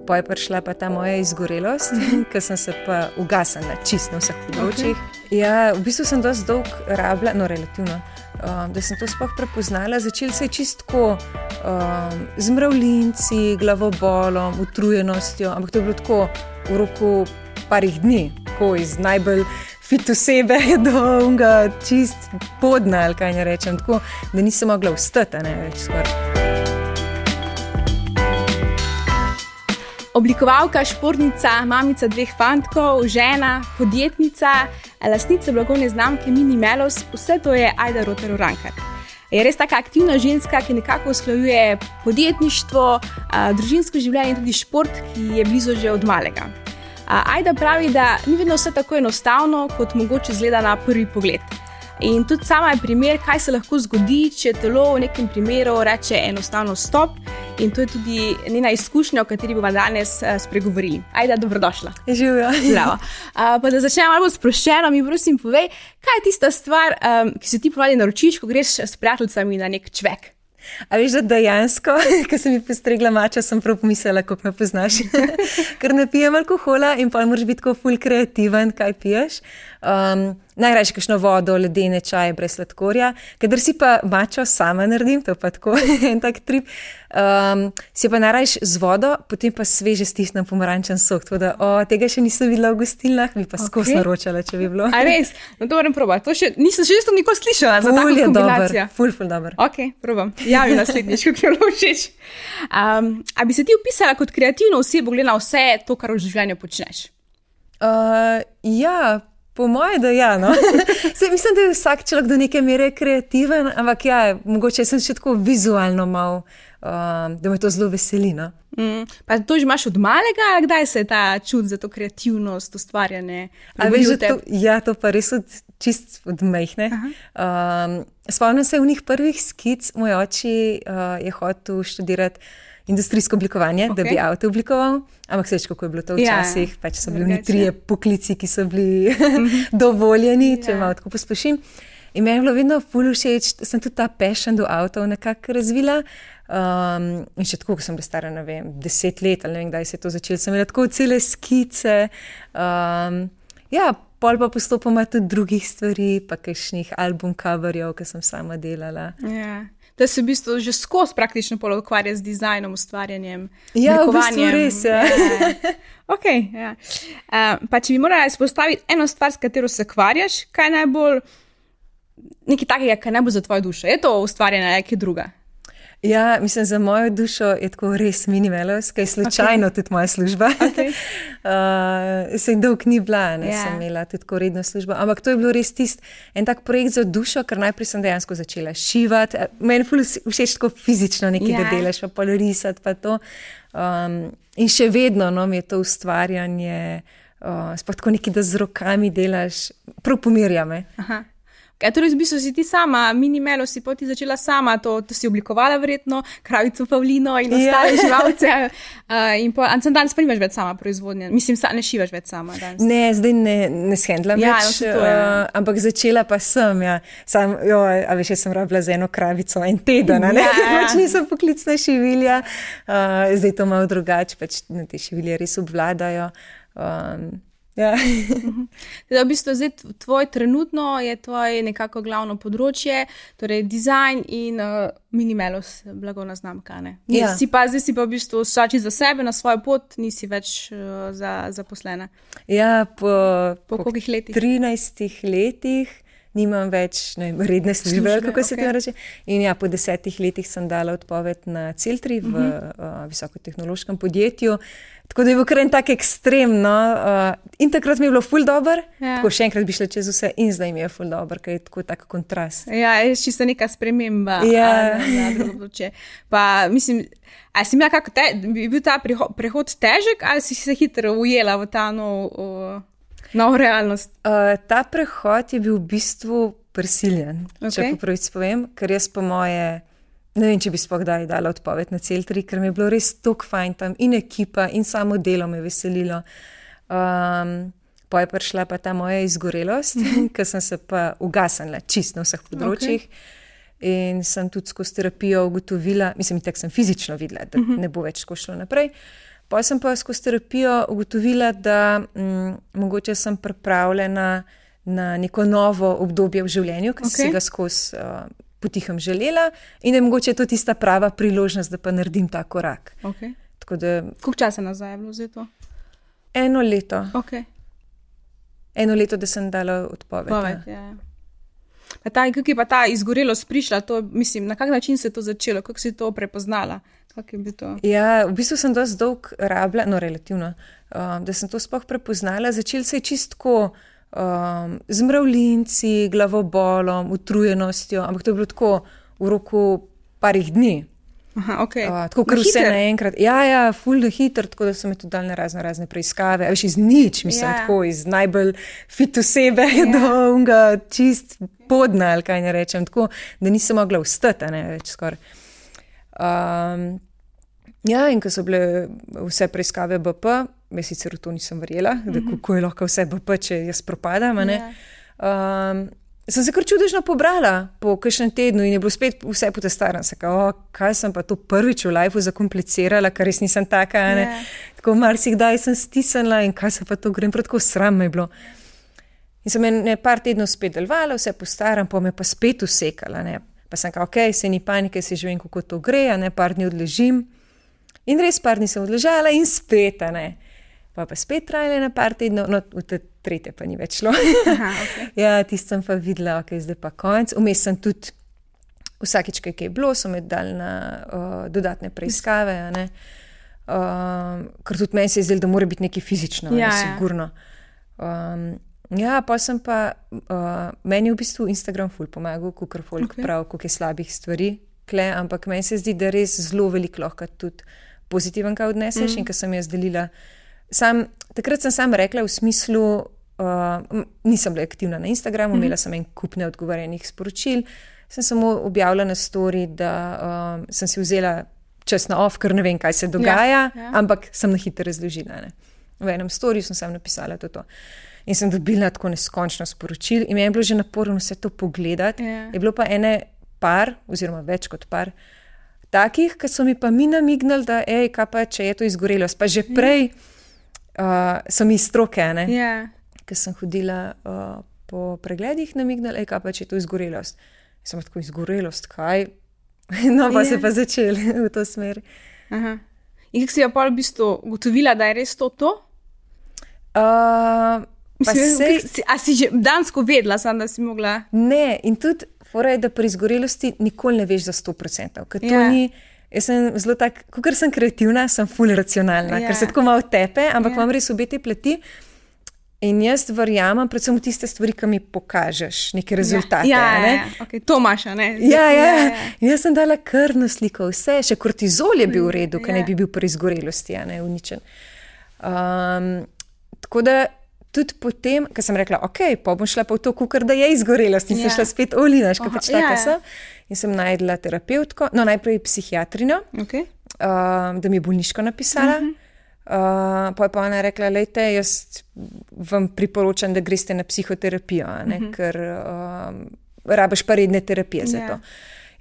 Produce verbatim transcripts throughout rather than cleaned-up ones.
poj prišla pa ta moja izgorelost, ker sem se pa ugasnila čist na vseh področjih. Okay. Ja, v bistvu sem dosti dolg rabila, no relativno, um, da sem to sploh prepoznala. Začel se je čistko um, z mravljinci, glavobolom, utrujenostjo, ampak to je bilo tako v roku parih dni, tako iz najbolj fit osebe do unga čist podna, ali kaj ne rečem, tako da nisem mogla vstati, ne več skoraj. Oblikovalka, športnica, mamica dveh fantkov, žena, podjetnica, lastnica blagovne znamke Minimelos, vse to je Ajda Rotar Urankar. Je res taka aktivna ženska, ki nekako usklajuje podjetništvo, družinsko življenje in tudi šport, ki je blizu že od malega. Ajda pravi, da ni vedno vse tako enostavno, kot mogoče izgleda na prvi pogled. In tudi sama je primer, kaj se lahko zgodi, če telo v nekem primeru reče enostavno stop. In to je tudi njena izkušnja, o kateri bomo danes spregovorili. Ajda, dobrodošla. Živjo. Zdravo. Uh, pa da začnemo malo sproščeno, mi prosim povej, kaj je tista stvar, um, ki se ti ponavadi naročiš, ko greš s prijateljicami na nek čvek? A veš, da dejansko, ko sem mi postregla mača, sem prav pomislila, kako me poznaš. Ker ne pijem alkohola in pa moraš biti tako ful kreativen, kaj piješ. Um, najrajši kakšno vodo, ledene čaje brez sladkorja. Kadar si pa mačo sama naredim, to pa tako en tak trip, um, si pa najrajši z vodo, potem pa sveže stisnem pomarančen sok. Tako da, o, tega še nisem videla v gostilnah, bi pa okay. Skos naročala, če bi bilo. A res? No to moram probati. To še, nisem še isto nikoli slišala za tako kombinacijo. Ful, ful dober. Ok, probam. Javi naslednjič, kako mi je bilo všeč. Um, a bi se ti opisala kot kreativno osebo, glede na vse to, kar v življenju počneš? Uh, ja, po moje, da ja, no. Sej, mislim, da je vsak človek do neke mere kreativen, ampak ja, mogoče sem še tako vizualno mal, um, da me to zelo veseli, no. Mm, pa to že imaš od malega, ali kdaj se je ta čut za to kreativnost, ustvarjanje? A veš, da to, ja, to pa res od, čist od mejhne. Um, spomnim se v njih prvih skic, moj oči uh, je hotel študirati industrijsko oblikovanje, okay. Da bi avto oblikoval, ampak seš, kako je bilo to včasih, ja, pač so bili oni trije poklici, ki so bili dovoljeni, če ja. Malo tako posplošim. In meni je bilo vedno ful všeč, sem tudi ta passion do avtov nekako razvila. Um, in še tako, ko sem bila stara, ne vem, deset let, ali ne vem, kdaj se je to začelo, sem imela tako cele skice. Um, ja, pol pa postopoma tudi drugih stvari, pa kakšnih album coverjev, ki sem sama delala. Ja. Da se v bistvu že skozi praktično pol ukvarja z dizajnom, ustvarjanjem, ja, oblikovanjem. Ja, v bistvu res, ja. ja. Ok, ja. Uh, pa če bi morala izpostaviti eno stvar, s katero se ukvarjaš, kaj najbolj, nekaj takega, kaj najbolj za tvojo dušo? Je to ustvarjanje ali kaj druga? Ja, mislim, za mojo dušo je tako res Minimelos, kaj je slučajno okay. Tudi moja služba. Okay. uh, se dolg ni bila, ne, yeah. Sem imela tudi tako redno službo, ampak to je bilo res tist en tak projekt za dušo, ker najprej sem dejansko začela šivati. Meni ful všeč tako fizično nekaj, yeah. Da delaš, pa pol risati, pa to. Um, in še vedno, no, mi je to ustvarjanje, uh, sploh tako nekaj, da z rokami delaš, prav pomirja me. Aha. Kaj, torej, v bistvu si ti sama, Minimelos si poti začela sama, to, to si oblikovala verjetno, kravico Pavlino in ostale yeah. živalce. Uh, in po, an sem danes pa nimaš več sama proizvodnje, mislim, sa, ne šivaš več sama danes. Ne, zdaj ne, ne shendlam ja, več, no, uh, ampak začela pa sem, ja. Sam, jo, a veš, jaz sem rabila za eno kravico en teden, ne? Ja, ja. Pač nisem poklicna šivilja, uh, zdaj to malo drugače, pač te šivilje res obvladajo. Um, Ja. v bistvu zdaj tvoj trenutno je tvoje nekako glavno področje, torej dizajn in uh, Minimelos, blagovna znamka, ne? Ja. Si pa, zdaj si pa v bistvu vsači za sebe, na svojo pot, nisi več uh, za, zaposlena. Ja, po, po, po kolikih letih? trinajstih letih nimam več ne, redne službe, službe kako se okay. to reče. In ja, po desetih letih sem dala odpoved na Celtri v uh-huh. uh, visokotehnološkem podjetju. Tako da je bil kar en tak ekstremno. Uh, in takrat mi je bilo ful dober, ja. Tako še enkrat bi šla čez vse in zdaj mi je ful dober, ker je tako tak kontrast. Ja, je čisto neka sprememba. Ja. Na, na področje. Pa mislim, a si imela kako, te, bi bil ta prehod težek ali si se hitro ujela v ta nov, uh, nov realnost? Uh, ta prehod je bil v bistvu prisiljen, okay. Če pa pravic povem, ker jaz po moje ne vem, če bi sploh kdaj dala odpoved na Celtri, ker mi je bilo res toliko fajn tam in ekipa in samo delo me veselilo. Um, pa je prišla pa ta moja izgorelost, ker sem se pa ugasnila čist na vseh področjih. Okay. In sem tudi skozi terapijo ugotovila, mislim, tako sem fizično videla, da ne bo več tako šlo naprej. Pa sem pa skozi terapijo ugotovila, da m, mogoče sem pripravljena na neko novo obdobje v življenju, ki okay. sem si ga skozi uh, potihem želela in da je mogoče to tista prava priložnost, da pa naredim ta korak. Okay. Da, koliko časa nazaj je bilo za to? Eno leto. Okay. Eno leto, da sem dala odpoved. Poved, ja. Ja. Pa ta, kako je pa ta izgorelost prišla, to, mislim, na kak način se je to začelo, kako si to prepoznala? Kako je bilo to? Ja, v bistvu sem dosti dolg rabila, no relativno, um, da sem to sploh prepoznala. Začel se je čistko um, z mravljinci, glavobolom, utrujenostjo, ampak to je bilo tako v roku parih dni. Aha, okay. uh, tako, kar vse naenkrat. Ja, ja, ful hiter, tako da so me tudi dali na razne, razne preiskave. A veš, iz nič, mislim, yeah. tako, iz najbolj fit osebe yeah. do unga čist podna, ali kaj ne rečem, tako, da nisem mogla vstati, ne več skoraj. Um, ja, in ko so bile vse preiskave B P, jaz sicer v to nisem verjela, mm -hmm. da kako je lahko vse B P, če jaz propadam, ne. Yeah. Um, sem se kar čudežno pobrala po kakšnem tednu in je bilo spet vse potestaran. Se kao, kaj sem pa to prvič v lifeu zakomplicirala, ker res nisem taka, ne. Yeah. Tako marsikdaj sem stisnila in kaj se pa to grem, prav tako sram me je bilo. In sem me par tednov spet delovala, vse postaram, pa me pa spet usekala, ne. Pa sem kao, ok, se ni panike, se že vem, kako to gre, ne, par dni odležim. In res par dni sem odležala in spet, ne. Pa pa spet trajala na par tednov, no, v te tretje pa ni več šlo. Aha, okay. Ja, tisto sem pa videla, ok, zdaj pa konc. Vmes sem tudi, vsakič, kaj je bilo, so me dali na uh, dodatne preiskave, ne. Um, ker tudi meni se je zdelo, da mora biti nekaj fizično, ja, ne, sigurno. Um, ja, pa sem pa, uh, meni je v bistvu Instagram ful pomagal, kukor folk okay. prav, koliko je slabih stvari, kle, ampak meni se zdi, da res zelo veliko lahko tudi pozitiven kaj odneseš mm. in ko sem jaz delila. Sam, takrat sem sam rekla v smislu, uh, nisem bila aktivna na Instagramu, mm. imela sem en kup neodgovorjenih sporočil, sem samo objavila na story, da um, sem si vzela čas na off, ker ne vem, kaj se dogaja, ja, ja. ampak sem na hitro razložila. Ne. V enem storiju sem sam napisala to. to. In sem dobila tako neskončno sporočil in mi je bilo že naporno vse to pogledati. Ja. Je bilo pa ene par, oziroma več kot par, takih, ki so mi pa mi namignali, da ej, kaj pa, če je to izgorelost. Pa že prej uh, so mi stroke, ne, yeah. ker sem hodila uh, po pregledih, namignali, ej, kaj pa, če je to izgorelost. Sem tako, izgorelost, kaj? No, pa yeah. se pa začeli v to smer. Aha. In kako si jo pa v bistvu ugotovila, da je res to to? Uh, Mislim, sej... si, a si že dansko vedela, sam, da si mogla? Ne, in tudi fora je, da pri izgorelosti nikoli ne veš za sto procentov. Ker to yeah. ni, jaz sem zelo tak, kakor sem kreativna, sem ful racionalna, yeah. ker se tako malo tepe, ampak yeah. imam res obe te plati. In jaz verjamem predvsem v tiste stvari, ki mi pokažeš neke rezultate. Ja, ja, ne? ja. Okay, to imaš, ne? Ja, ja, ja. In jaz sem dala krvno sliko, vse, še kortizol je bil v redu, ki ja. ne bi bil pri izgorelosti, ja, ne, uničen. Um, tako da tudi potem, ko sem rekla, ok, pa bom šla pa v to kukar, da je izgorelost in ja. sem šla spet olinaš, ko pač taka ja, sem. In sem najdla terapeutko, no najprej psihiatrinjo, okay. um, da mi je bolniško napisala. Uh-huh. Uh, pa je pa ona rekla, lejte, jaz vam priporočam, da greste na psihoterapijo, ne, uh-huh. ker um, rabiš pa redne terapije za yeah. to.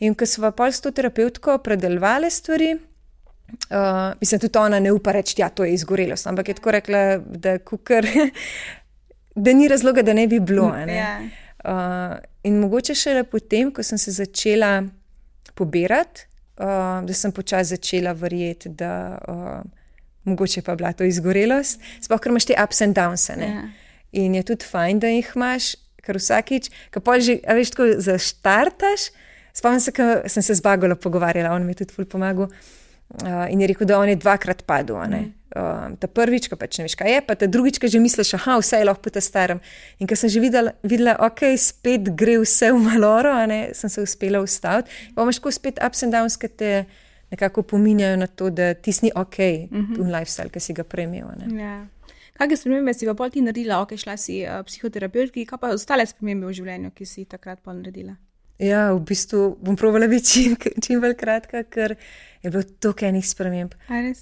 In ko sva pol s to terapeutko predelovali stvari, uh, mislim, tudi ona ne upa reči, ja, to je izgorelost, ampak je tako rekla, da kukar, da ni razloga, da ne bi bilo. Ne. Yeah. Uh, in mogoče šele potem, ko sem se začela pobirati, uh, da sem počasi začela verjeti, da uh, mogoče pa bila to izgorelost, sploh, ker imaš te ups and downs, ne. Yeah. In je tudi fajn, da jih imaš, ker vsakič, ko pa že, a veš, tako zaštartaš, spomnim se, ko sem se z Bagolo pogovarjala, on mi je tudi ful pomagal, uh, in je rekel, da on je dvakrat padel, ne. Mm. Uh, ta prvič, ko pač ne veš, kaj je, pa ta drugič, ko že misliš, aha, vse je lahko po ta starem. In ko sem že videla, videla, ok, spet gre vse v maloro, ne, sem se uspela ustaviti. Pa imaš tako spet ups and downs, ki te nekako pominjajo na to, da ti ni ok, mm-hmm. v lifestyle, ki si ga premel. Ja. Kakšne spremembe si pa pol ti naredila? Ok, šla si uh, psihoterapeutki, kaj pa ostale spremembe v življenju, ki si takrat pol naredila? Ja, v bistvu bom probala biti čim, čim bolj kratka, ker je bilo toliko enih sprememb.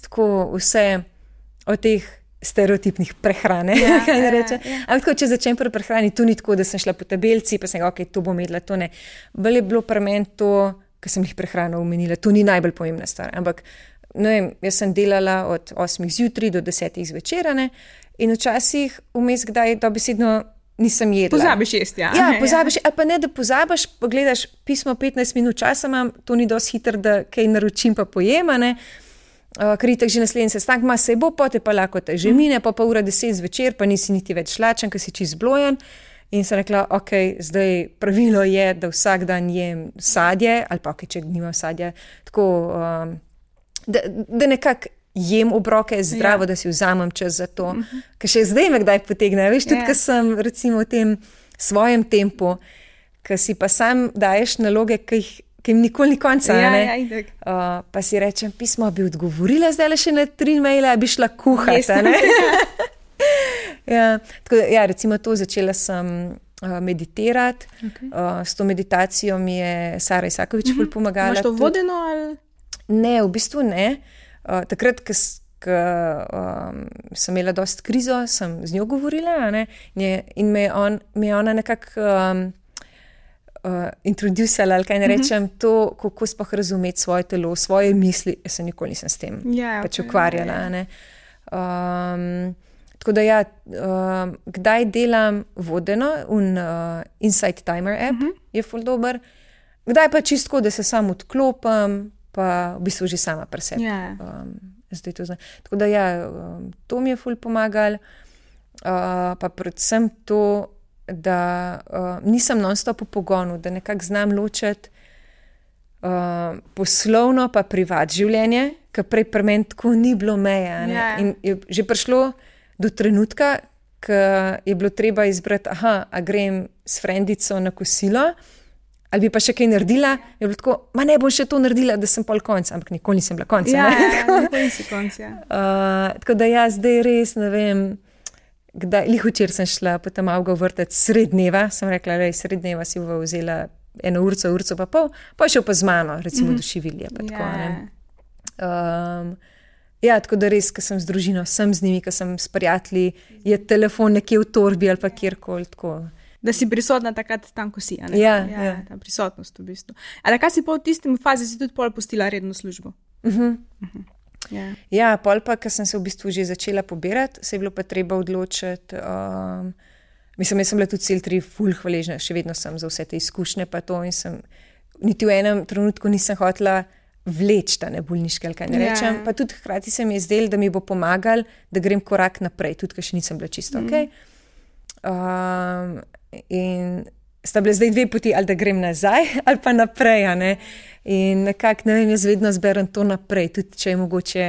Tako vse od teh stereotipnih prehrane, ja, kaj ne reče. Ja, ja. Ampak tako, če začnem pri prehrani, to ni tako, da sem šla po tabelci, pa sem ga, ok, to bom jedla, to ne. Bolj je bilo pri meni to, ker sem jih prehrano omenila, to ni najbolj pomembna stvar, ampak ne vem, jaz sem delala od osmih zjutraj do desetih zvečer, ne, in včasih vmes kdaj dobesedno nisem jedla. Pozabiš jesti, ja. Ja, pozabiš, ali pa ne, da pozabiš, pogledaš pismo petnajst minut časa imam, to ni dosti hitro, da kaj naročim pa pojema, ne. Uh, ker itak že naslednji sestanek ima, se bo, pote pa lahko te že mine, pa pa ura deset zvečer, pa nisi niti več lačen, ker si čist zblojen. In sem rekla, ok, zdaj pravilo je, da vsak dan jem sadje, ali pa ok, če nimam sadja, tako, um, da, da nekako jem obroke zdravo, ja. Da si vzamem čas za to. Uh-huh. Ker še zdaj me kdaj potegne, veš, tudi, yeah. Ker sem recimo v tem svojem tempu, ker si pa sam daješ naloge, ki jih ki jim nikoli ni konca, ja, ne? Ja, uh, pa si rečem, pismo bi odgovorila zdaj le še na tri maile, bi šla kuhati, ne? ja, tako da, ja, recimo to, začela sem uh, meditirati, okay. uh, s to meditacijo mi je Sara Isakovič ful mm-hmm. pomagala. Imaš to vodeno ali? Ne, v bistvu ne. Uh, takrat, ko um, sem imela dost krizo, sem z njo govorila, ne? In me je, on, me je ona nekako um, Uh, introducala, ali kaj ne rečem, mm-hmm. to, kako sploh razumeti svoje telo, svoje misli, jaz se nikoli nisem s tem yeah, pač okay, ukvarjala. yeah. Ne? Um, tako da ja, um, kdaj delam vodeno, un uh, Insight Timer app mm-hmm. je ful dober, kdaj pa čistko, da se sam odklopam, pa v bistvu že sama pri sebi. Yeah. Um, zdaj to znam. Tako da ja, um, to mi je ful pomagal, uh, pa predvsem to, da uh, nisem non-stop v pogonu, da nekako znam ločiti uh, poslovno pa privat življenje, ker prej pri meni tako ni bilo meja. Yeah. In je že prišlo do trenutka, ko je bilo treba izbrati, aha, a grem s frendico na kosilo, ali bi pa še kaj naredila, je bilo tako, ma ne bom še to naredila, da sem pol konca, ampak nikoli nisem bila konca. Ja, ne? ja, nikoli nisi konca. Uh, tako da ja, zdaj res ne vem, kdaj, lih včer sem šla potem avga vrtec sred dneva, sem rekla, lej, sred dneva si bova vzela eno urco, urco pa pol, pa šel pa z mano, recimo mm-hmm. do Šivilje, pa tako, yeah. ne. Um, ja, tako da res, ko sem z družino, sem z njimi, ko sem s prijatelji, je telefon nekje v torbi ali pa kjerkoli, tako. Da si prisotna takrat tam, ko si, a ne? Ja, ja. ja. Ta prisotnost v bistvu. A da kaj si pa v tistem fazi si tudi pol pustila redno službo? Mhm. Uh-huh. Yeah. Ja, pol pa, ko sem se v bistvu že začela pobirati, se je bilo pa treba odločiti. Um, mislim, jaz sem bila tudi cel tri ful hvaležna, še vedno sem za vse te izkušnje pa to in sem niti v enem trenutku nisem hotela vleči ta bolniške, ali kaj ne rečem. Yeah. Pa tudi hkrati se mi je zdelo, da mi bo pomagal, da grem korak naprej, tudi, ker še nisem bila čisto mm. ok. Um, in sta bile zdaj dve poti, ali da grem nazaj, ali pa naprej, a ne. In nekako, ne vem, jaz vedno zberem to naprej, tudi če je mogoče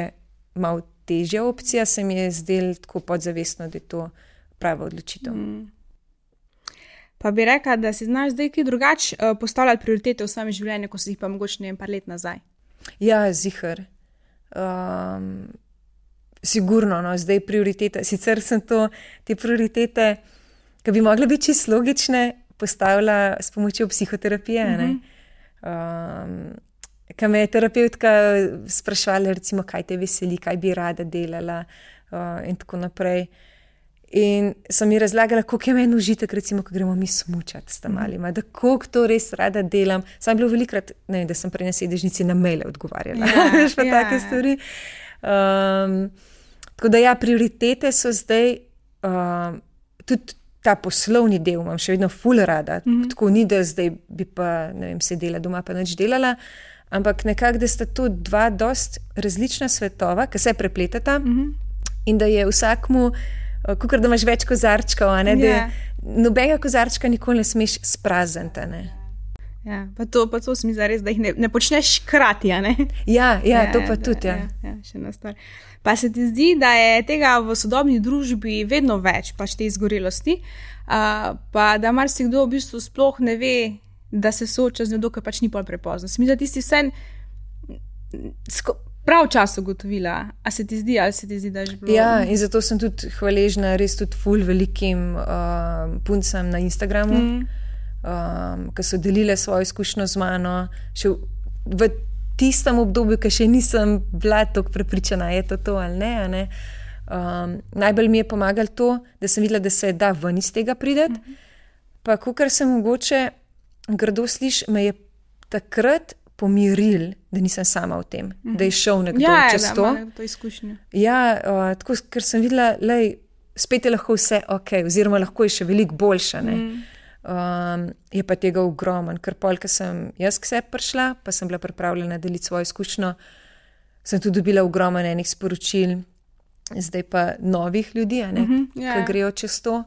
malo težja opcija, se mi je zdel tako podzavestno, da je to prava odločitev. Mm. Pa bi rekla, da si znaš zdaj kaj drugače uh, postavljati prioritete v svojem življenju, ko si jih pa mogoče ne vem, par let nazaj? Ja, ziher. Um, sigurno, no, zdaj prioritete. Sicer sem to, te prioritete, ki bi mogle biti čisto logične, postavila s pomočjo psihoterapije, mm-hmm. ne. Um, kaj me je terapeutka sprašvala, recimo, kaj te veseli, kaj bi rada delala uh, in tako naprej. In sem mi razlagala, koliko je meni užitek, recimo, ko gremo mi smučati s tam malima, da koliko to res rada delam. Sam bilo velikrat, ne vem, da sem prej na sedežnici na maile odgovarjala, veš pa ja. take stvari. Um, tako da ja, prioritete so zdaj um, tudi ta poslovni del imam še vedno ful rada, mm-hmm. tako ni, da zdaj bi pa, ne vem, sedela doma pa nič delala, ampak nekako, da sta to dva dost različna svetova, ki se prepletata mm-hmm. in da je vsakmu, kakor da imaš več kozarčkov, a ne, yeah. da nobenega kozarčka nikoli ne smeš sprazniti, ne. Ja, pa to, pa to smi zares, da jih ne, ne počneš hkrati, a ne? Ja, ja, ja to pa da, tudi, ja. ja. Ja, še ena stvar. Pa se ti zdi, da je tega v sodobni družbi vedno več, pač te izgorelosti, uh, pa da marsikdo v bistvu sploh ne ve, da se sooča z njo, dokaj pač ni pol prepozno. Se mi zdi, da ti si vse prav čas ugotovila, a se ti zdi, ali se ti zdi, da je že bilo? Ja, in zato sem tudi hvaležna res tudi ful velikim uh, puncem na Instagramu, mm. um, ki so delile svojo izkušnjo z mano, še v, v tistem obdobju, ki še nisem bila tako prepričana, je to to ali ne. A ne? Um, najbolj mi je pomagalo to, da sem videla, da se da ven iz tega prideti, mm-hmm. pa kakor se mogoče grdo sliši, me je takrat pomiril, da nisem sama v tem, mm -hmm. da je šel nekdo ja, čez da, to. Ja, to izkušnjo. Ja, uh, tako, ker sem videla, lej, spet je lahko vse ok, oziroma lahko je še veliko boljše. Mm. Um, je pa tega ogromen, ker pol, ko sem jaz k sebi prišla, pa sem bila pripravljena deliti svojo izkušnjo, sem tudi dobila ogromen enih sporočil, zdaj pa novih ljudi, a ne, mm -hmm, yeah. ki grejo čez to.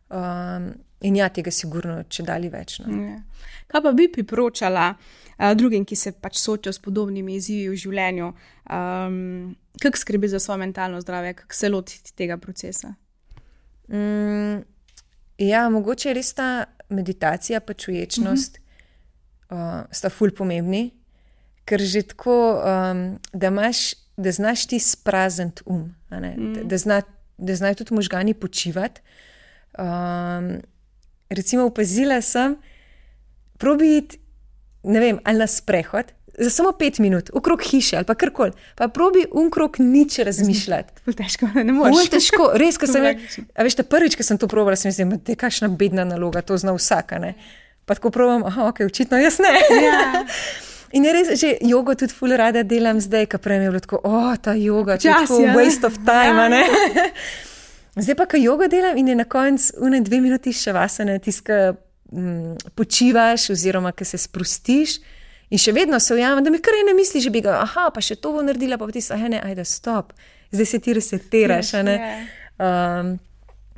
Um, in ja, tega sigurno če dali več. No. Yeah. Kaj pa bi priporočala uh, drugim, ki se pač soočajo s podobnimi izzivi v življenju? Um, kako skrbi za svoje mentalno zdravje, kako se lotiti tega procesa? Mm, ja, mogoče je res ta meditacija pa čuječnost mm -hmm. uh, sta ful pomembni, ker že tako, um, da imaš, da znaš ti sprazniti um, a ne? Mm. Da, da, zna, da znajo tudi možgani počivati. Um, recimo opazila sem, probi iti, ne vem, ali na sprehod, za samo pet minut, okrog hiše ali pa karkoli, pa probi unkrog nič razmišljati. Ful težko, ne moreš. Ful težko, res, ko sem, a veš, ta prvič, ko sem to probala, sem mislila, da je kakšna bedna naloga, to zna vsaka, ne. Pa tako probam, aha, ok, očitno jaz ne. Ja. In je res, že jogo tudi ful rada delam zdaj, ko prej mi je bilo tako, o, ta joga, to je tako waste of time, ja. Ne. Zdaj pa, ko jogo delam in je na koncu une dve minuti še vasane, tiska mm, počivaš oziroma, ko se sprostiš in še vedno se ujamem, da mi kar ne misli, že bi ga, aha, pa še to bo naredila, pa ti se, aha, ne, ajde, stop, zdaj se ti resetiraš, a ne. Um,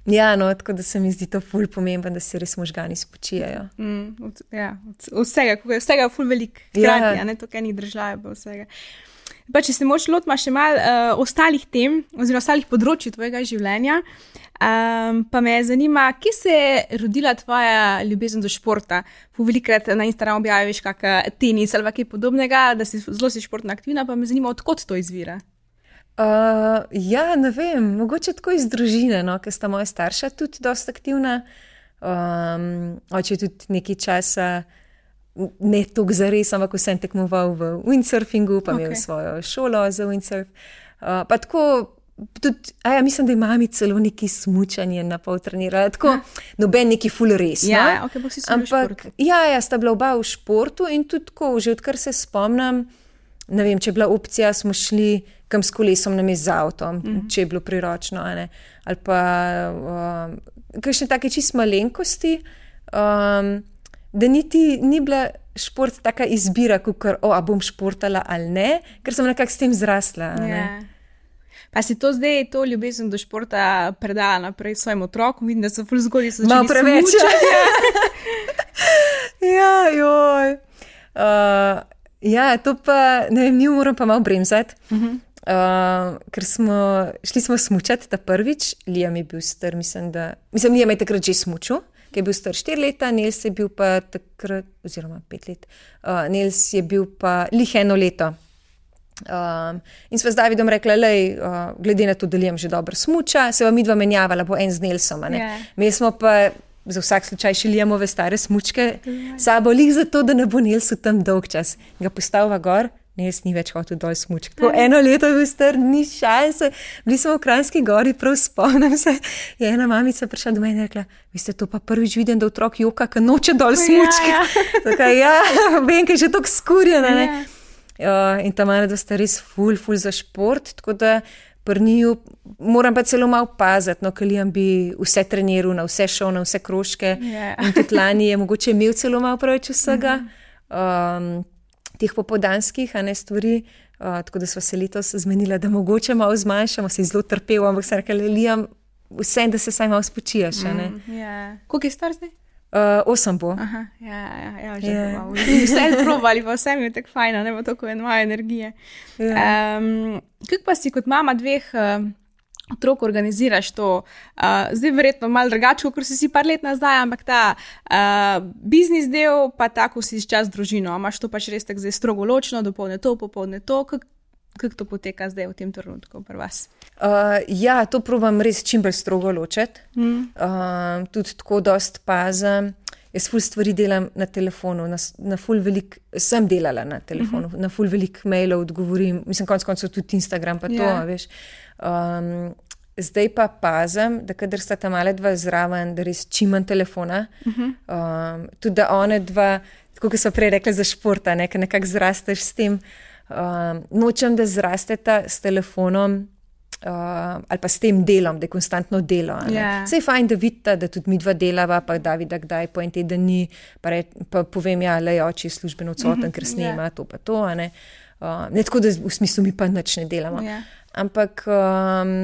ja, no, tako da se mi zdi to ful pomembno, da se res možgani spočijajo. Mm, od, ja, od vsega, vsega ful velik hkrati, ja. Ne, to kaj ni držajo, pa vsega. Pa če se moč lotma še malo uh, ostalih tem, oziroma ostalih področji tvojega življenja, um, pa me zanima, kje se je rodila tvoja ljubezen do športa? Velikrat na Instagramu objaviš kak tenis ali kaj podobnega, da si zelo si športno aktivna, pa me zanima, odkot to izvira? Uh, ja, ne vem, mogoče tako iz družine, no, ker sta moja starša tudi dosta aktivna. Um, oče tudi nekaj časa ne toliko zares, ampak vsem tekmoval v windsurfingu, pa okay. Imel svojo šolo za windsurf. Uh, pa tako, tudi, a ja, mislim, da je mami celo neki smučanje na pol trenirala, tako ha. Noben neki ful res. Ja, no? Ok, pa si sem v športu. Ja, ja, sta bila oba v športu in tudi tako, že odkar se spomnim, ne vem, če je bila opcija, smo šli kam s kolesom, nam je z avtom, mm-hmm. če je bilo priročno, a ne. Ali pa um, kakšne take čist malenkosti, um, da niti ni bila šport taka izbira, kukor, o, a bom športala ali ne, ker sem nekako s tem zrasla. Yeah. Pa si to zdaj, to ljubezen do športa predala naprej svojim otrokom, vidim, da so ful zgodaj so začeli smučati. Ja, joj. Uh, ja, to pa, ne vem, mi moram pa malo bremzati, uh-huh. uh, ker smo, šli smo smučati ta prvič, Liam je bil star, mislim, da, mislim, Liam je takrat že smučil, ki je bil star štiri leta, Nels je bil pa takrat, oziroma pet let, uh, Nels je bil pa lih eno leto. Um, in sva z Davidom rekla, lej, uh, glede na to, da Liam že dobro smuča, se vam midva menjavala, bo en z Nelsom, a ne. Yeah. Mi smo pa za vsak slučaj še Liamove stare smučke yeah. sabo, lih zato, da ne bo Nelsu tam dolg čas. Ga postavila gor, Nels ni več hotel dol smučk. Tako yeah. eno leto je bil star, ni šanse. Bili smo v Kranjski gori, prav spomnim se, je ena mamica prišla do mene in rekla, vi ste to pa prvič vidim, da otrok joka, ka noče dol smučke. Ja, ja. Tako, ja, vem, kaj je že toliko skurjena, ne. Yeah. Uh, in ta mene, da sta res ful, ful za šport, tako da pri njiju moram pa celo malo paziti, no, ker Liam bi vse treniral, na vse šel, na vse krožke. Yeah. In tudi lani je mogoče imel celo malo preveč vsega, um, teh popoldanskih, a ne stvari, uh, tako da sva se letos zmenila, da mogoče malo zmanjšamo, se je zelo trpel, ampak sem rekla, Liam, vse, da se saj malo spočijaš, a ne. Mm, yeah. Koliko je star zdaj? Uh, osem bo. Aha, ja, ja, ja, že yeah. Vse probali, pa vse mi je tako fajno, ne bo tako eno moje energije. Yeah. Um, kako pa si kot mama dveh uh, otrok organiziraš to? Uh, zdaj verjetno malo drugače, kot si si par let nazaj, ampak ta uh, biznis del, pa tako si čas z družino. Imaš to pač res tako zdaj strogo ločno, dopolne to, popolne to. Kako kak to poteka zdaj v tem trenutku pri vas? Uh, ja, to probam res čim bolj strogo ločiti. Mm. Uh, tudi tako dost pazim. Jaz ful stvari delam na telefonu, na, na ful velik, sem delala na telefonu, mm-hmm. na ful velik mailov odgovorim, mislim, konc koncev tudi Instagram pa to, yeah. veš. Um, zdaj pa pazim, da kadar sta ta male dva zraven, da res čim manj telefona, mm-hmm. um, tudi da one dva tako kot so prej rekli za športa, ne, nekako zrasteš s tem. Uh, nočem, da zrasteta s telefonom uh, ali pa s tem delom, da je konstantno delo. Yeah. Saj je fajn, da vidite, da tudi mi dva delava, pa Davida kdaj po en teden ni, pa, re, pa povem, ja, le oči je službeno odsoten, ker snema yeah. to pa to. Ne, uh, ne tako, da v smislu mi pa nič ne delamo. Yeah. Ampak, um,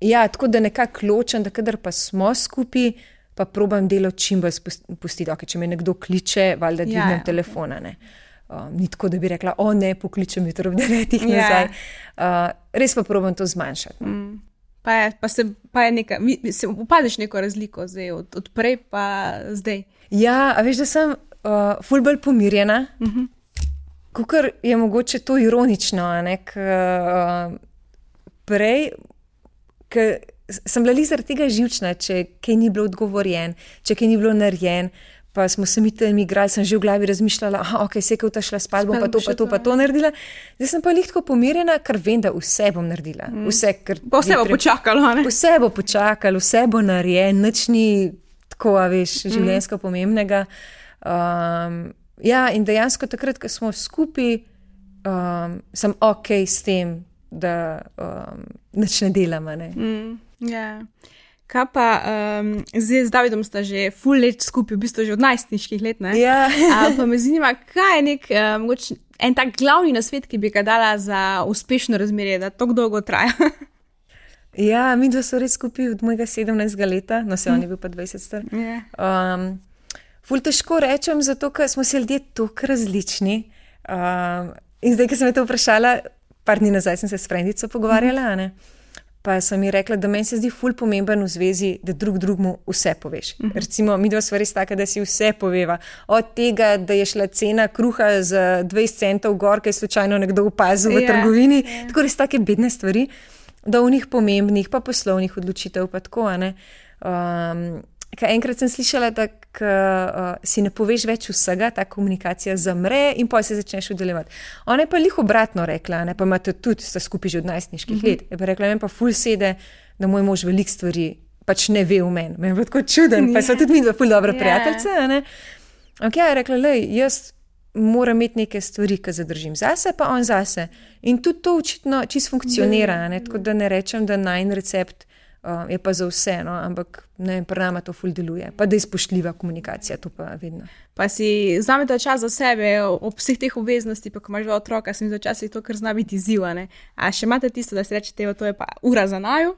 ja, tako da nekako ločem, da kadar pa smo skupaj, pa probam delo čim bolj pustiti. Okay, če me nekdo kliče, valjda dvignem yeah, telefona, ne. Um, ni tako, da bi rekla, o ne, pokličem jutro ob devetih yeah. nazaj. Uh, res pa probam to zmanjšati. No. Mm. Pa, je, pa, se, pa je neka, se opadiš neko razliko zdaj, od, od prej pa zdaj. Ja, a veš, da sem uh, ful bolj pomirjena, mm-hmm. kakor je mogoče to ironično, ne, k, uh, prej, k, sem bila zaradi tega živčna, če kaj ni bilo odgovorjen, če kaj ni bilo narejen, pa smo se mi tam igrali, sem že v glavi razmišljala, aha, ok, se je kot šla spat, bom pa to, pa to, pa to naredila. Zdaj sem pa lihko pomirjena, ker vem, da vse bom naredila. Vse, ker pa vse bo treb... počakalo, ne? Vse bo počakalo, vse bo narejen, nič ni tako, a veš, življenjsko mm. pomembnega. Um, ja, in dejansko takrat, ko smo skupaj, um, sem ok s tem, da um, nič ne delamo, ne. Mm. Ja, kaj pa, um, zdaj z Davidom sta že ful let skupaj, v bistvu že od najstniških let, ne? Ja. A, pa me zanima, kaj je nek, um, en tak glavni nasvet, ki bi ga dala za uspešno razmerje, da tako dolgo traja? Ja, mi dva so res skupaj od mojega sedemnajstega leta, no se on je bil pa dvajset star. Yeah. Um, ful težko rečem, zato, ker smo se ljudje toliko različni. Um, in zdaj, ko sem me to vprašala, par dni nazaj sem se s frendico pogovarjala, ne? Pa sem mi rekla, da meni se zdi ful pomemben v zvezi, da drug drugmu vse poveš. Uh-huh. Recimo, mi dva sva res taka, da si vse poveva. Od tega, da je šla cena kruha za dvajset centov gor, kaj je slučajno nekdo opazil v yeah, trgovini. Yeah. Tako res take bedne stvari, da v njih pomembnih, pa poslovnih odločitev, pa tako, ne. Um, kaj enkrat sem slišala, da k, uh, si ne poveš več vsega, ta komunikacija zamre in pa se začneš udeleževati. Ona je pa lih obratno rekla, ne, pa imate tudi, sta skupaj že od najstniških mm-hmm. let. Je pa rekla, meni pa ful sede, da moj mož veliko stvari pač ne ve v meni. Meni je pa tako čuden, pa so tudi mi dva ful dobra yeah. prijateljca, ne. Ok, je rekla, lej, jaz moram imeti neke stvari, ki zadržim zase, pa on zase. In tudi to očitno čisto funkcionira, ne, tako da ne rečem, da najn recept Uh, je pa za vse, no, ampak ne, pri nama to ful deluje. Pa da je spoštljiva komunikacija, to pa vedno. Pa si vzamete čas za sebe, ob vseh teh obveznosti, pa ko imaš dva otroka, sem za čas to, kar zna biti izziv, ne. A še imate tisto, da si rečete, to je pa ura za naju?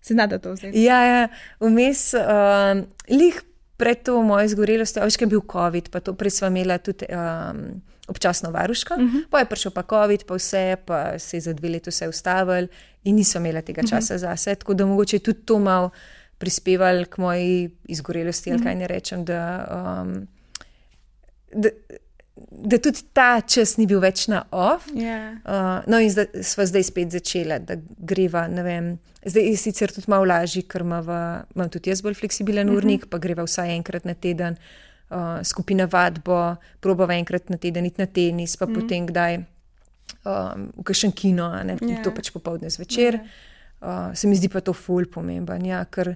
Se znate to vzeti? Ja, ja, vmes, uh, lih pred to mojo zgorelostjo, veš, kaj je bil COVID, pa to prej sva imela tudi um, občasno varuško, uh-huh. pa je prišel pa COVID, pa vse, pa se je za dve leti vse ustavil in nisem imela tega časa uh-huh. zase, tako da mogoče tudi to malo prispeval k moji izgorelosti, uh-huh. ali kaj ne rečem, da, um, da, da tudi ta čas ni bil več na off. Yeah. Uh, no in zdaj, sva zdaj spet začela, da greva, ne vem, zdaj je sicer tudi malo lažji, ker imam tudi jaz bolj fleksibilen uh-huh. urnik, pa greva vsaj enkrat na teden, uh, skupina vadbo, probava enkrat na teden iti na tenis, pa uh-huh. potem kdaj Um, v kakšen kino, ne, yeah. to pač popoldne zvečer. Yeah. Uh, se mi zdi pa to ful pomemben, ja, ker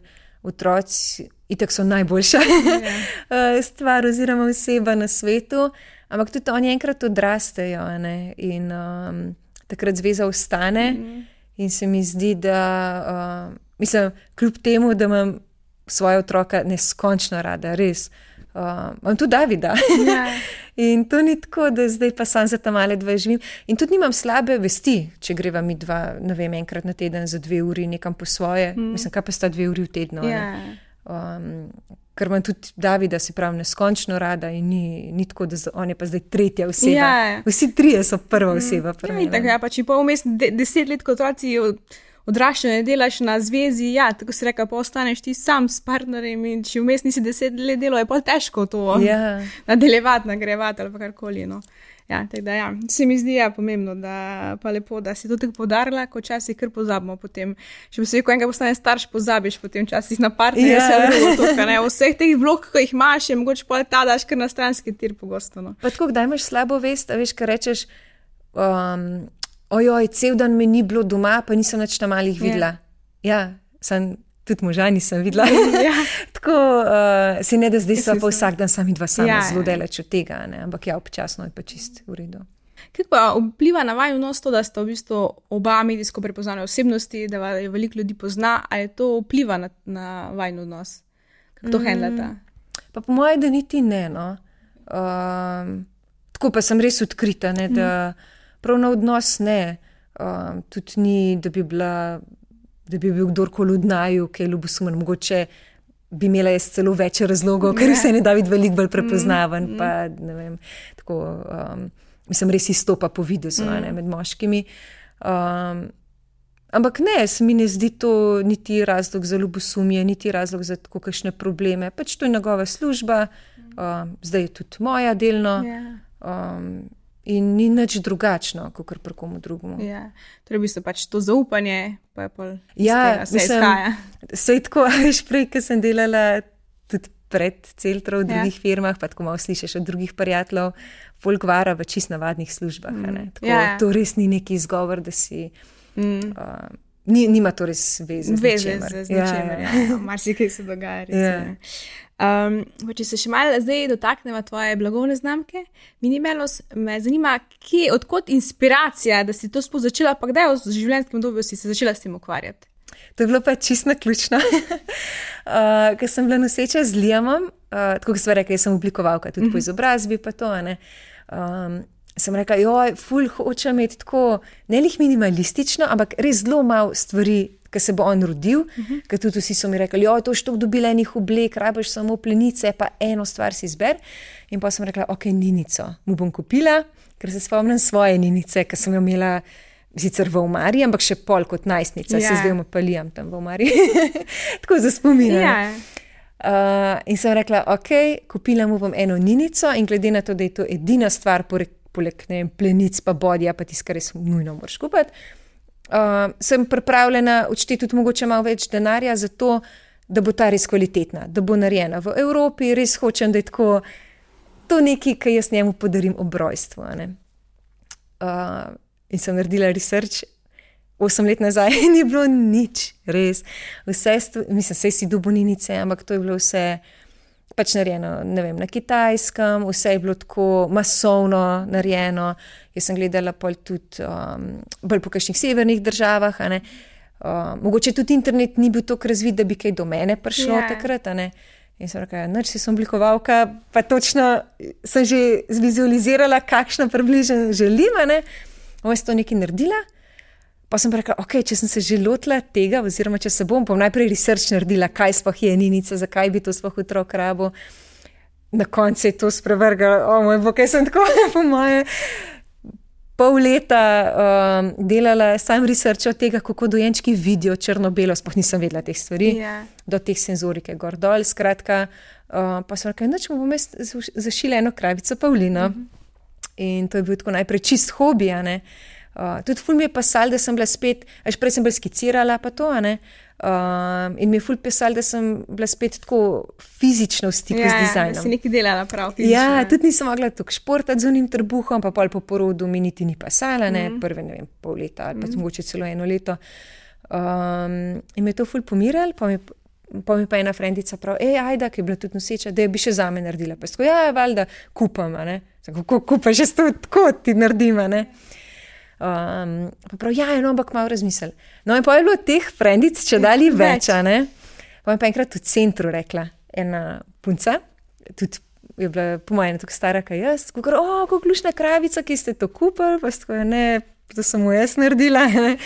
otroci itak so najboljša yeah. stvar oziroma oseba na svetu, ampak tudi oni enkrat odrastejo, ne, in um, takrat zveza ostane mm-hmm. in se mi zdi, da uh, mislim, kljub temu, da imam svoje otroka neskončno rada, res. Uh, imam tudi Davida. Yeah. In to ni tako, da zdaj pa sam za ta male dva živim. In tudi nimam slabe vesti, če greva mi dva, ne vem, enkrat na teden za dve uri nekam po svoje. Mm. Mislim, kaj pa sta dve uri v tednu. Yeah. Um, ker imam tudi Davida, se pravi, neskončno rada in ni, ni tako, da on je pa zdaj tretja oseba. Yeah. Vsi trije so prva oseba. Mm. Ja, tako, ja, pa če pa vmes de, deset let kot otroci odraščanje delaš na zvezi, ja, tako si reka, pa ostaneš ti sam s partnerjem in če vmes nisi deset let delo, je pa težko to yeah. nadaljevati, nagrevati ali pa karkoli, no. Ja, tako da ja, se mi zdi ja pomembno, da pa lepo, da si to tako podarila, ko časih kar pozabimo potem. Še posebej, ko enega postane starš, pozabiš potem časih na partnerja, yeah. se drugo tukaj, ne. Vseh teh vlog, ko jih imaš, je mogoče pa ta daš kar na stranski tir pogosto, no. Pa tako, kdaj imaš slabo vest, a veš, kaj rečeš, um, ojoj, cel dan me ni bilo doma, pa nisem nič na malih videla. Yeah. Ja, sem tudi moža nisem videla. Yeah. tako, uh, si ne da zdaj sva pa vsak dan sami dva sama, Ja, zelo ja. daleč od tega, ne? Ampak ja, občasno je pa čist v redu. Kako pa vpliva na vaju odnos to, da sta v bistvu oba medijsko prepoznane osebnosti, da vaju veliko ljudi pozna, ali to vpliva na, na vajin odnos? Kako to mm. handlata? Pa po moje, da niti ne, no. Um, tako pa sem res odkrita, ne, da prav na odnos ne. Um, tudi ni, da bi bila, da bi bil kdorkoli od naju, kaj ljubosumen, mogoče bi imela jaz celo več razlogov, ker Ja. vse ne David veliko bolj prepoznaven, Mm, pa ne vem, tako, um, mislim, res izstopa po videzu, a ne, med moškimi. Um, ampak ne, se mi ne zdi to niti razlog za ljubosumje, niti razlog za tako kakšne probleme. Pač to je njegova služba, um, zdaj je tudi moja delno. Ja. Um, in ni nič drugačno, kot kar pri komu drugemu. Ja. Torej, v bistvu pač to zaupanje, pa je pol Ja, iz tega se izhaja. Sej tako, veš, prej, ko sem delala tudi pred Celtro v Ja. drugih firmah, pa tako malo slišiš od drugih prijateljev, folk vara v čist navadnih službah. a ne. Tako, Ja, ja. To res ni neki izgovor, da si... Mm. Uh, ni, nima to res veze z Veze ničemer. z, z Ja, ničemer. ja. Ja, ja. Marsikaj se dogaja. Res, Ja. ja. Um, pa če se še malo zdaj dotaknemo tvoje blagovne znamke, Minimelos, me zanima, kje, odkot inspiracija, da si to sploh začela, pa kdaj v življenjskem obdobju si se začela s tem ukvarjati? To je bilo pa čisto naključno. uh, Ker sem bila noseča z Liamom, uh, tako kot sem rekla, jaz sem oblikovalka, tudi po izobrazbi pa to, a ne. Um, sem rekla, joj, ful hočem imeti tako, ne lih minimalistično, ampak res zelo malo stvari, ki se bo on rodil, uh -huh. ker tudi vsi so mi rekli, joj, to štok dobila enih oblek, rabiš samo plenice, pa eno stvar si izber. In pa sem rekla, ok, ninico mu bom kupila, ker se spomnim svoje ninice, ki sem jo imela sicer v omari, ampak še pol kot najstnica, Ja. se zdaj umapalijam tam v omari. Tako za spomin. Ja. Uh, in sem rekla, ok, kupila mu bom eno ninico in glede na to, da je to edina stvar, poleg, poleg ne vem, plenic pa bodja, pa tisto, kar res nujno moraš kupiti, uh, sem pripravljena odšteti tudi mogoče malo več denarja za to, da bo ta res kvalitetna, da bo narejena v Evropi, res hočem, da je tako, to nekaj, kar jaz njemu podarim ob rojstvu. a ne. Uh, in sem naredila research, osem let nazaj ni bilo nič, res. Vse, stu, mislim, vse si duboninice, ampak to je bilo vse pač narejeno, ne vem, na Kitajskem, vse je bilo tako masovno narejeno. Jaz sem gledala pol tudi um, bolj po kakšnih severnih državah, a ne. Uh, mogoče tudi internet ni bil tako razvit, da bi kaj do mene prišlo Ja. takrat, a ne. In sem rekla, noč si sem oblikovalka, pa točno sem že zvizualizirala, kakšno približno želim, a ne. Ovo sem to nekaj naredila, pa sem pa rekla, ok, če sem se že lotila tega, oziroma če se bom, bom najprej research naredila, kaj sploh je ninica, zakaj bi to sploh otrok rabo. Na koncu je to sprevrgalo, o moj bog, kaj sem tako, po moje, pol leta um, delala sam research od tega, kako dojenčki vidijo črno-belo, sploh nisem vedela teh stvari, Ja. do teh senzorike gor dol, skratka, uh, pa sem rekla, noč mu bom jaz zašila eno kravico Pavlino. Mm-hmm. In to je bil tako najprej čist hobi, a ne. Uh, tudi ful mi je pasal, da sem bila spet, až prej sem bila skicirala pa to, a ne. Uh, in mi je ful pisal, da sem bila spet tako fizično v stiku Ja, z ja, dizajnom. da si nekaj delala prav fizično. Ja, tudi nisem mogla tako športati z unim trbuhom, pa pol po porodu mi niti ni pasala, ne, mm. prve, ne vem, pol leta ali pa mm. mogoče celo eno leto. Um, in me je to ful pomiral, pa mi, pa mi pa ena frendica prav, ej, ajda, ki je bila tudi noseča, da je bi še zame naredila. Pa tako, ja, valjda, kupam, a ne. Kako kupaš, že to tako ti naredim, a ne. Um, pa prav, ja, no, ampak malo razmisel. No, in pa je bilo teh frendic, če dali več, a ne. Pa mi pa enkrat v centru rekla ena punca, tudi je bila po mojem tako stara, kaj jaz, kako, o, kako lušna kravica, ki ste to kupili, pa tako je, ne, to samo jaz naredila, ne.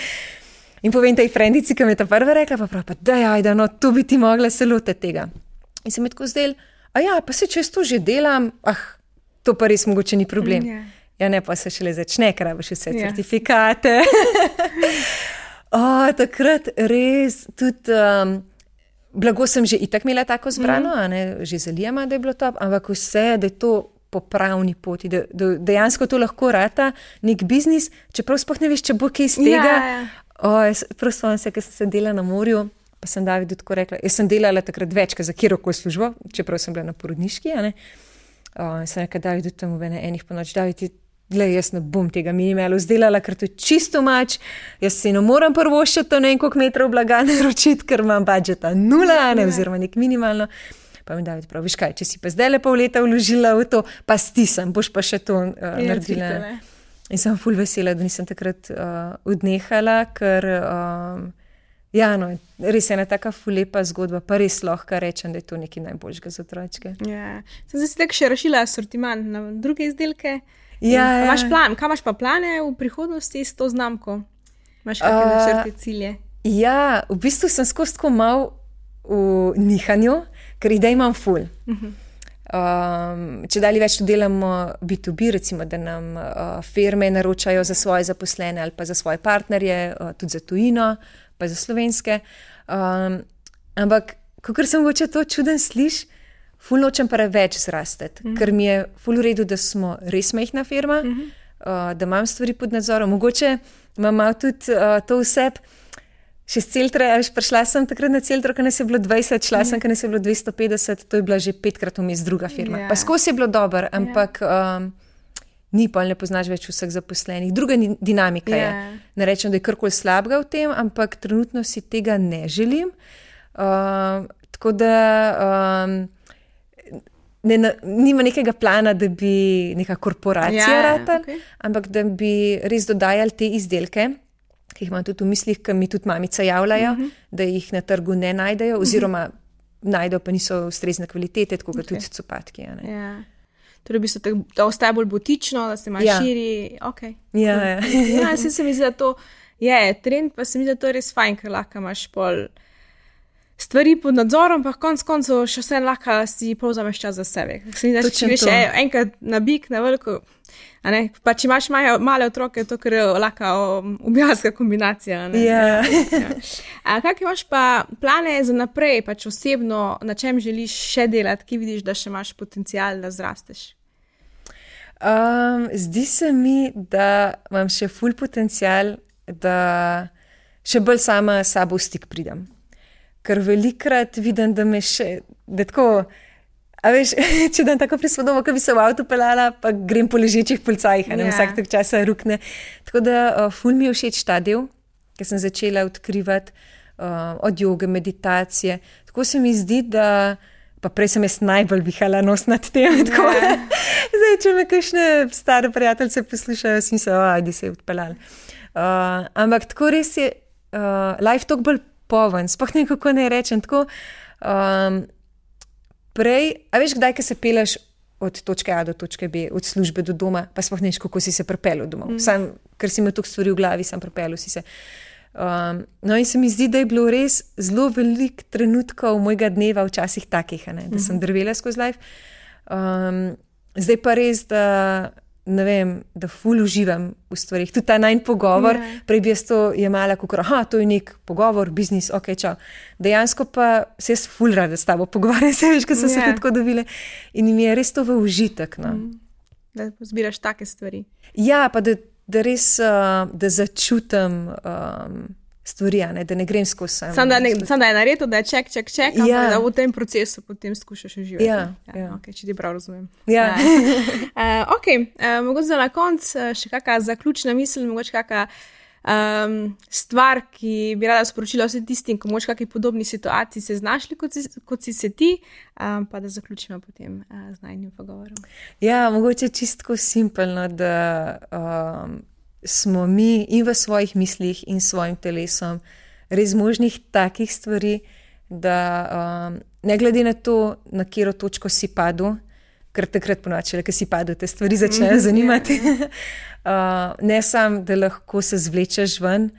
In povem tej frendici, ki mi je ta prva rekla, pa prav, pa daj, ajda, no, tu bi ti mogla se lotiti tega. In se mi tako zdel, a ja, pa se če jaz to že delam, ah, to pa res mogoče ni problem. Ja. Ja, ne, pa se šele začne, ker rabiš vse Ja. certifikate. O, takrat res tudi um, blago sem že itak imela tako zbrano, mm. a ne, že za Liama, da je bilo top, ampak vse, da je to po pravni poti, da, da dejansko to lahko rata nek biznis, čeprav sploh ne veš, če bo kaj iz tega. Ja, ja. O, jaz prav spomnim se, ker sem se delala na morju, pa sem Davidu tako rekla, jaz sem delala takrat več, za kjerokoli službo, čeprav sem bila na porodniški, a ne. O, in sem rekla, Davidu tam v ene enih po noč, David, glej, jaz ne bom tega Minimelo izdelala, ker to je čisto mač, jaz se ne moram prvoščiti to ne vem koliko metrov blaga naročiti, ker imam budžeta nula, ne, oziroma nek minimalno. Pa mi David pravi, viš kaj, če si pa zdaj le pol leta vložila v to, pa stisem, boš pa še to uh, naredila. In sem ful vesela, da nisem takrat uh, odnehala, ker um, ja, no, res je ena taka ful lepa zgodba, pa res lahko rečem, da je to nekaj najboljšega za otročke. Ja, sem zdaj si tako še rašila asortiment na druge izdelke. Ja, ja. Imaš plan, kaj imaš pa plane v prihodnosti s to znamko? Imaš kakšne uh, načrte, cilje? Ja, v bistvu sem skozi tako mal v nihanju, ker idej imam ful. Uh-huh. Um, če dalje več to delamo B to B, recimo, da nam uh, firme naročajo za svoje zaposlene ali pa za svoje partnerje, uh, tudi za tujino, pa za slovenske. Um, ampak, kakor sem mogoče to čuden sliš, ful nočem preveč zrasteti, uh-huh. ker mi je ful v redu, da smo res majhna firma, uh-huh. uh, da imam stvari pod nadzorom. Mogoče imam malo tudi uh, to vseb. Še z Celtre, veš, prišla sem takrat na Celtro, ko nas je bilo dvajset, šla sem, ko nas je bilo dvesto petdeset, to je bila že petkrat vmes druga firma. Yeah. Pa skozi je bilo dobro, ampak yeah. um, ni pa, ne poznaš več vseh zaposlenih. Druga dinamika yeah. je. Ne rečem, da je karkoli slabega v tem, ampak trenutno si tega ne želim. Um, tako da um, ne, nima nekega plana, da bi neka korporacija yeah, rata, okay. ampak da bi res dodajali te izdelke, ki jih imam tudi v mislih, ki mi tudi mamice javljajo, uh-huh. da jih na trgu ne najdejo, oziroma uh-huh. najdejo, pa niso ustrezne kvalitete, tako okay. tudi copatki. Ja. Torej, bi se tak, da ostaje bolj butično, da se malo ja. širi. Okay. Ja, ja. ja, se, se mi zdi, da to je trend, pa se mi zdi, da to je res fajn, ker lahko imaš pol stvari pod nadzorom, pa konc koncev še vse lahko si povzameš čas za sebe. Se mi zdi, da če greš enkrat na bik, na veliko, a ne, pa če imaš male, male otroke, to ker je lahko ubijalska kombinacija. Ne? Ja. ja. A kak imaš pa plane za naprej, pač osebno, na čem želiš še delati, ki vidiš, da še imaš potencial, da zrasteš? Um, zdi se mi, da imam še ful potencial, da še bolj sama sabo v stik pridem. Ker velikrat vidim, da me še, da tako, a veš, če dam tako prispodobo, ko bi se v avtu pelala, pa grem po ležečih policajih, a ne, yeah. vsak tak časa rukne. Tako da uh, ful mi je všeč ta del, ker sem začela odkrivati uh, od joge, meditacije. Tako se mi zdi, da, pa prej sem jaz najbolj vihala nos nad tem, tako da, yeah. zdaj, če me kakšne stare prijateljce poslušajo, sem se, ajde se je odpeljala. Uh, ampak tako res je, uh, life talk bolj poven, sploh ne kako ne rečem, tako um, prej, a veš kdaj, ko se peleš od točke A do točke B, od službe do doma, pa sploh ne veš, kako si se pripelil domov, mm. sam, ker si imel toliko stvari v glavi, sam pripelil si se. Um, no in se mi zdi, da je bilo res zelo velik trenutkov mojega dneva včasih takih, ne, da sem drvela skozi life. Um, zdaj pa res, da ne vem, da ful uživam v stvarih. Tudi ta najn pogovor, yeah. prej bi jaz to jemala, kako, aha, to je nek pogovor, biznis, ok, čau. Dejansko pa se jaz ful rada s tabo pogovarjam, se veš, ko so yeah. se tako dobile. In mi je res to v užitek, no. Mm. Da zbiraš take stvari. Ja, pa da, da res, uh, da začutam um, stvari, ne, da ne grem skozi sam. Sam da, sam da je naredil, da je ček, ček, ček, ja. ampak da v tem procesu potem skušaš uživati. Ja, ja, ja. Ok, če ti prav razumem. Ja. uh, ok, uh, mogoče za na konc še kakšna zaključna misel, mogoče kakšna um, stvar, ki bi rada sporočila vsem tistim, ko mogoče kakšni podobni situaciji se znašli, kot si, kot si se ti, um, pa da zaključimo potem uh, z najnim pogovorom. Ja, mogoče čistko simpelno, da um, smo mi in v svojih mislih in svojim telesom res možnih takih stvari, da um, ne glede na to, na katero točko si padel, ker takrat ponoči, ko si padel, te stvari začnejo zanimati. uh, ne sam, da lahko se zvlečeš ven,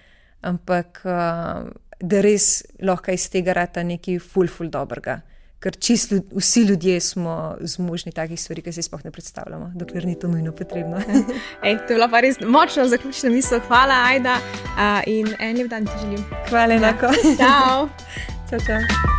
ampak uh, da res lahko iz tega rata nekaj ful, ful dobrega. Ker čist ljud, vsi ljudje smo zmožni takih stvari, ki se sploh ne predstavljamo, dokler ni to nujno potrebno. Ej, to je bila pa res močna zaključna misel. Hvala, Ajda, uh, in en lep dan ti želim. Hvala enako. Ja. Čau. Čau, čau.